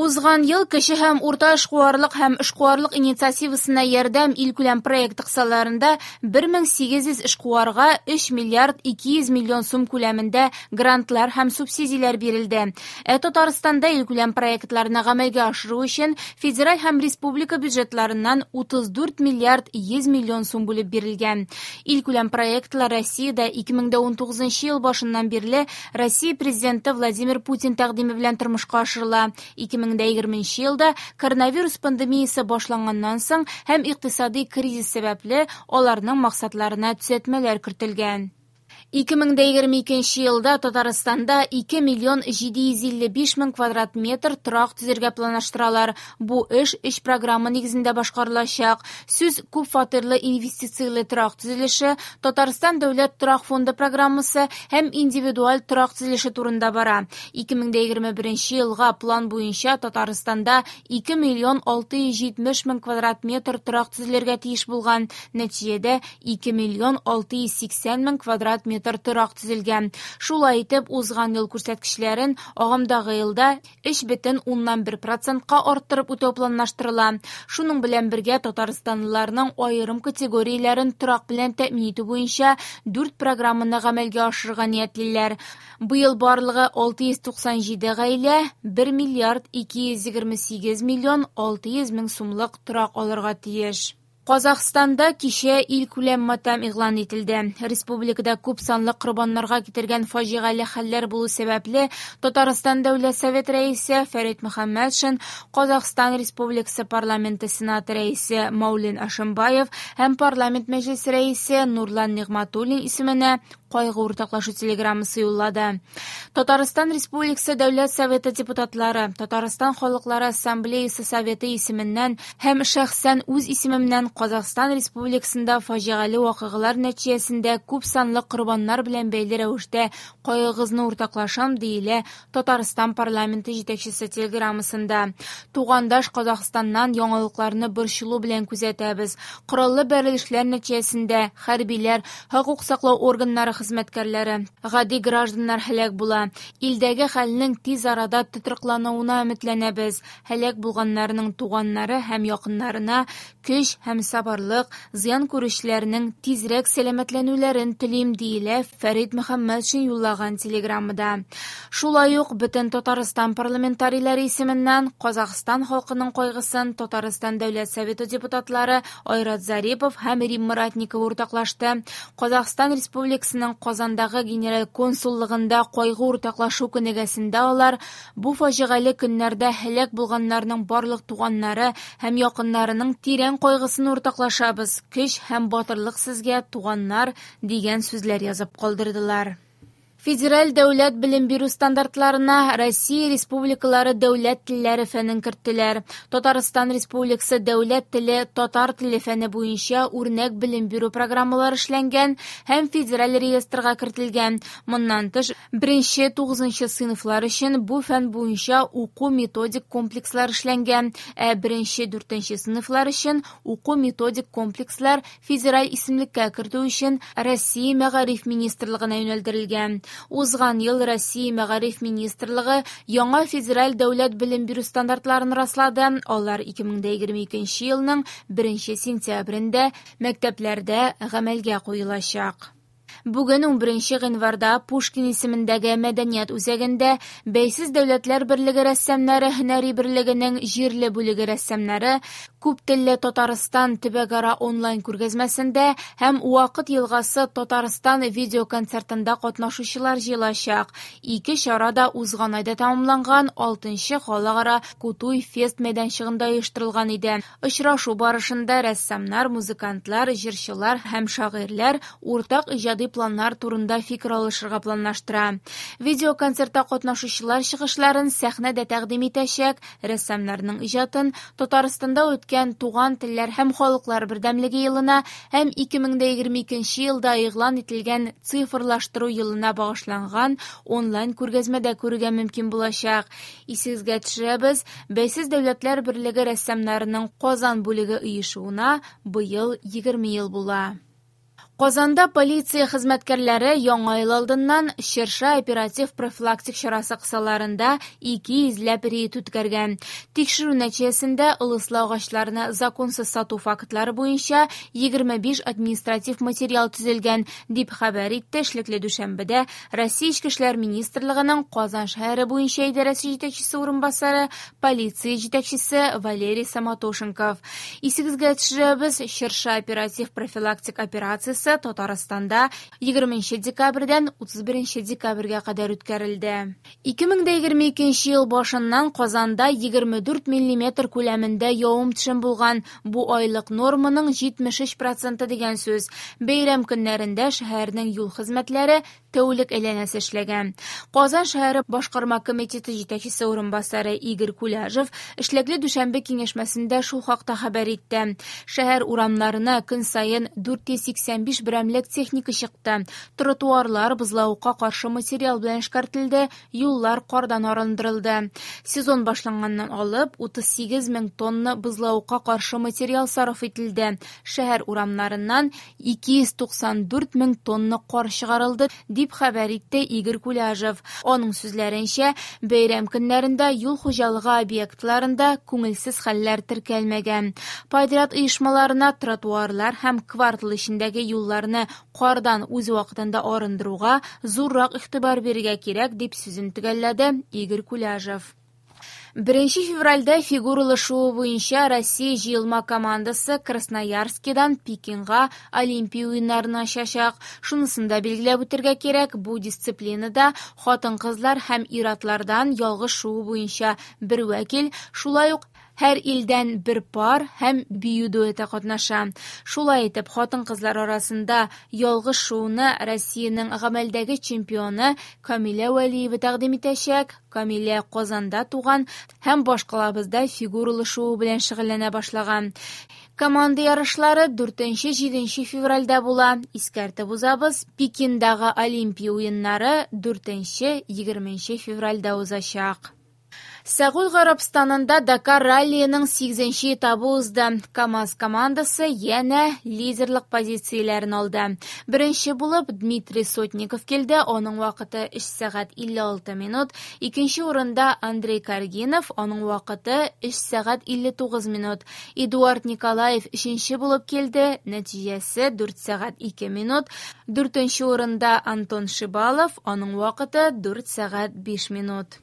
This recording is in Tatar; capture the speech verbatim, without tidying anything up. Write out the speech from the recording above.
Узган ел кече һәм урта эшкуарлык һәм эшкуарлык инициативасына ярдәм илкүләм проекты кысаларында бер мең сигез йөз эшкуарга өч миллиард ике йөз миллион сум күләмендә грантлар һәм субсидияләр бирелде. Ә Татарстанда илкүләм проектларны гамәлгә ашыру өчен федераль һәм республика бюджетларыннан утыз дүрт миллиард йөз миллион сум бүлеп бирелгән. Илкүләм проектлар Россиядә ике мең дә унтугызынчы ел башыннан бирле Россия президенты Владимир Путин тәкъдиме белән тормышка ашырыла. ике мең дә егерменче елда коронавирус пандемиясе башланганнан соң һәм икътисади кризис сәбәпле аларның максатларына төзәтмәләр кертелгән. Ике мең дә егерме икенче елда Татарстанда ике миллион җиде йөз илле биш мең квадрат метр торак төзергә планлаштыралар. Бу эш өч программа нигезендә башкарылачак. Сүз күп фатирлы инвестицияле торак төзелеше, Татарстан дәүләт торак фонды программасы һәм индивидуаль торак төзелеше турында бара. Ике мең дә егерме беренче елга план буенча Татарстанда ике миллион алты йөз җитмеш мең квадрат метр торак төзелергә тиеш булган. Нәтиҗәдә ике миллион алты йөз сиксән мең квадрат метр торак төзелгән. Шулай итеп, узган ел күрсәткечләрен агымдагы елда өч бөтен уннан бер процентка арттырып үтәү планлаштырыла. Шуның белән бергә татарстанлыларның аерым категорияләрен торак белән тәэмин итү буенча дүрт программаны гамәлгә ашырырга ниятлиләр. Быел барлыгы алты йөз туксан җиде гаилә бер миллиард ике йөз егерме сигез миллион алты йөз мең сумлык торак алырга тиеш. Казахстанда кичә илкүләм матәм игълан ителде. Республикада күп санлы корбаннарга китергән фаҗигале хәлләр булу сәбәпле Татарстан Дәүләт Совет рәисе Фәрит Мөхәммәтшин, Казахстан Республикасы парламенты Сенаты рәисе Маулен Ашимбаев һәм парламент мәҗлесе рәисе Нурлан Нигъмәтуллин исеменә кайгы уртаклашу телеграммасы юллады. Татарстан Республикасы Дәүләт Советы депутатлары, Татарстан Халыклары Ассамблеясы Советы исеменнән һәм шәхсән үз исемемнән Казахстан Республикасында фаҗигале вакыйгалар нәтиҗәсендә күп санлы корбаннар белән бәйле рәвештә кайгыгызны уртаклашам, диелә Татарстан парламенты җитәкчесе телеграммасында. Тугандаш Казахстаннан яңалыкларны борчылу белән күзәтәбез. Кораллы бәрелешләр нәтиҗәсендә хәрбиләр, хокук саклау органнары хезмәткәрләре, гади гражданнар һәлак була. Илдәге хәлнең тиз арада тотрыклануына өметләнәбез. Һәлак булганнарның туганнары һәм якыннарына көч һәм сабырлык, зыян күрүчеләрнең тизрәк сәламәтләнүләрен телим, диелә Фәрит Мөхәммәтшин юллаган телеграммада. Шулай ук бөтен Татарстан парламентарийлары исеменнән Казахстан халкының кайгысын Татарстан Дәүләт Советы депутатлары Айрат Зарипов һәм Римма Ратникова уртаклашты. Казахстан Республикасының Казандагы генераль консуллыгында кайгы уртаклашу көнегәсендә алар бу фаҗигале көннәрдә һәлак булганнарның барлык туганнары һәм якыннарының тирән кайгысын уртаклашабыз. Көч һәм батырлык сезгә, туганнар, дигән сүзләр язып калдырдылар. Федераль дәүләт белем бирү стандартларына Россия Республикалары дәүләт телләре фәнен керттеләр. Татарстан Республикасы дәүләт теле татар теле фәне буенча үрнәк белем бирү программалары эшләнгән һәм федераль реестрга кертелгән. Моннан тыш, беренче тугызынчы сыйныфлар өчен бу фән буенча уку методик комплекслар эшләнгән, ә беренче дүртенче сыйныфлар өчен уку методик комплекслар федераль исемлеккә кертү өчен Россия Мәгариф Министрлыгына юнәлдерелгән. Узган ел Россия Мәгариф Министрлыгы яңа федераль дәүләт белем бирү стандартларын раслады. Алар ике мең дә егерме икенче елның беренче сентябрендә мәктәпләрдә гамәлгә куелачак. Бүген унберенче гыйнварда Пушкин исемендәге мәдәният үзәгендә Бәйсез дәүләтләр берлеге рәссамнары һөнәри берлегенең җирле бүлеге рәссамнары күп телле Татарстан төбәкара онлайн күргәзмәсендә һәм Вакыт елгасы Татарстан видеоконцертында катнашучылар җыелачак. Ике чара да узган айда тәмамланган алтынчы халыкара Кутуй фест мәйданчыгында оештырылган иде. Очрашу барышында рәссамнар, музыкантлар, җырчылар һәм шагыйрьләр уртак иҗади планнар турында фикер алышырга планлаштыра. Видеоконцертта катнашучылар чыгышларын сәхнәдә тәкъдим итәчәк. Рәссамнарның иҗатын Татарстанда үткән Туган телләр һәм халыклар бердәмлеге елына һәм ике мең дә егерме икенче елда игълан ителгән цифрлаштыру елына багышланган онлайн күргәзмәдә күрергә мөмкин булачак. Исегезгә төшерәбез, Бәйсез дәүләтләр берлеге рәссамнарының Казан бүлеге оешуына быел егерме ел була. Казанда полиция хезмәткәрләре яңа ел алдыннан Чыршы оператив профилактик чарасы кысаларында ике йөзләп рейд үткәргән. Тикшерү нәтиҗәсендә ылыслы агачларны законсыз сату фактлары буенча егерме биш административ материал төзелгән, дип хәбәр итте эшлекле дүшәмбедә Россия Эчке эшләр министрлыгының Казан шәһәре буенча идарәсе җитәкчесе урынбасары, полиция җитәкчесе Валерий Самотошенков. Исегезгә төшерәбез, Чыршы оператив профилактик операциясе Татарстанда егерменче декабрьдән утыз беренче декабрьгә кадәр үткәрелде. ике мең дә егерме икенче ел башыннан Казанда егерме дүрт миллиметр күләмендә явым-төшем булган. Бу айлык норманың җитмеш өч проценты дигән сүз. Бәйрәм көннәрендә шәһәрнең юл хезмәтләре тәүлек әйләнәсе эшләгән. Казан шәһәре башкарма комитеты җитәкчесе урынбасары Игорь Куляжев эшлекле дүшәмбе киңәшмәсендә шул хакта хәбәр итте. Шәһәр урамнарына көн саен дүрт йөз сиксән биш берәмлек техника чыкты. Тротуарлар бозлавыкка каршы материал белән эшкәртелде, юллар кардан арындырылды. Сезон башланганнан алып утыз сигез мең тонна бозлавыкка каршы материал сарыф ителде. Шәһәр урамнарыннан ике йөз туксан дүрт мең тонна кар чыгарылды, дип хәбәр итте Игорь Куляжев. Аның сүзләренчә, бәйрәм көннәрендә юл хуҗалыгы объектларында күңелсез хәлләр теркәлмәгән. Подряд оешмаларына тротуарлар һәм квартал эчендәге юлларны кардан үз вакытында арындыруга зуррак игътибар бирергә кирәк, дип сүзен төгәлләде Игорь Куляжев. Беренче февральдә фигуралы шуу буенча Россия җыелма командасы Красноярскидан Пекинга Олимпия уеннарына очачак. Шунысын да билгеләп үтәргә кирәк, бу дисциплинада хатын-кызлар һәм ир-атлардан ялгыш шуу буенча бер вәкил, шулай ук һәр илдән бер пар һәм бию дуэты катнаша. Шулай итеп, хатын-кызлар арасында ялгыш шууны Россиянең гамәлдәге чемпионы Камилә Вәлиева тәкъдим итәчәк. Камилә Казанда туган һәм башкалабызда фигуралы шуу белән шөгыльләнә башлаган. Команда ярышлары дүртенче-җиденче февральдә була. Искәртеп узабыз, Пекиндагы Олимпия уеннары дүртенче-егерменче февральдә узачак. Сәгуд Гарәбстанында Дакар раллиының сигезенче этабы узды. КАМАЗ командасы янә лидерлык позицияләрен алды. Беренче булып Дмитрий Сотников килде, аның вакыты өч сәгать илле алты минут. Икенче урында Андрей Каргинов, аның вакыты өч сәгать илле тугыз минут. Эдуард Николаев өченче булып килде, нәтиҗәсе дүрт сәгать ике минут. Дүртенче урында Антон Шибалов, аның вакыты дүрт сәгать биш минут.